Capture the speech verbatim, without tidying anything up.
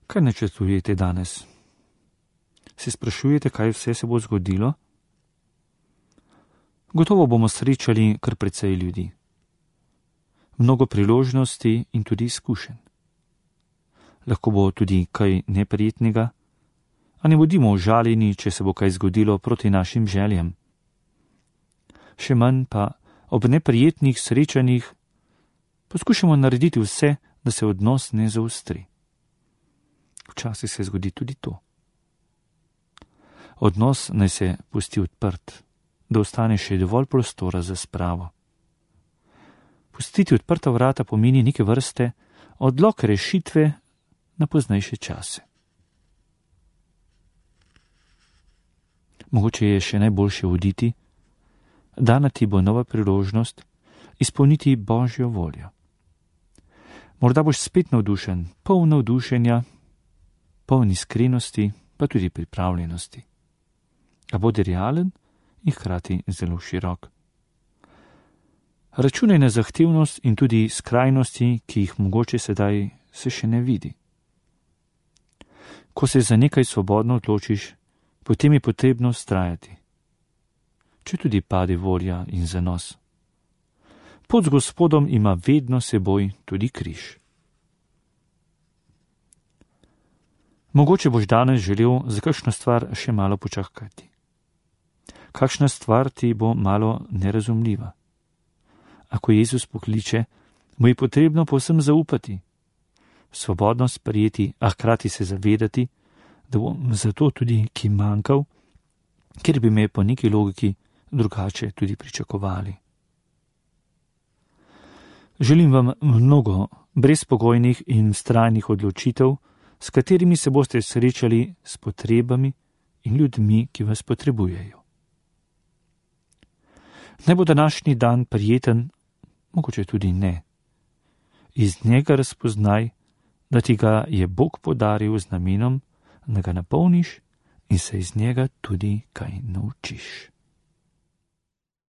Kaj načrtujete danes? Se sprašujete, kaj vse se bo zgodilo? Gotovo bomo srečali kar precej ljudi. Mnogo priložnosti in tudi izkušenj. Lahko bo tudi kaj neprijetnega, a ne bodimo užaljeni, če se bo kaj zgodilo proti našim željam. Še manj pa ob neprijetnih srečanjih poskušamo narediti vse, da se odnos ne zaostri. Včasih se zgodi tudi to. Odnos naj se pusti odprt, da ostane še dovolj prostora za spravo. Pustiti odprta vrata pomeni neke vrste odlog rešitve na poznejše čase. Mogoče je še najboljše oditi, dana ti bo nova priložnost izpolniti Božjo voljo. Morda boš spet navdušen, poln navdušenja, poln iskrenosti, pa tudi pripravljenosti. A bodi realen in hkrati zelo širok. Računaj na zahtevnost in tudi skrajnosti, ki jih mogoče sedaj se še ne vidi. Ko se za nekaj svobodno odločiš, potem je potrebno vztrajati. Če tudi pade volja in zanos. Pot z Gospodom ima vedno seboj tudi križ. Mogoče boš danes želel za kakšno stvar še malo počakati. Kakšna stvar ti bo malo nerazumljiva. Ako Jezus pokliče, mu je potrebno povsem zaupati, svobodno sprejeti, a hkrati se zavedati, da bom zato tudi ki manjkal, ker bi me po neki logiki drugače tudi pričakovali. Želim vam mnogo brezpogojnih in vztrajnih odločitev, s katerimi se boste srečali s potrebami in ljudmi, ki vas potrebujejo. Naj bo današnji dan prijeten, mogoče tudi ne. Iz njega razpoznaj, da ti ga je Bog podaril z namenom, da ga napolniš in se iz njega tudi kaj naučiš.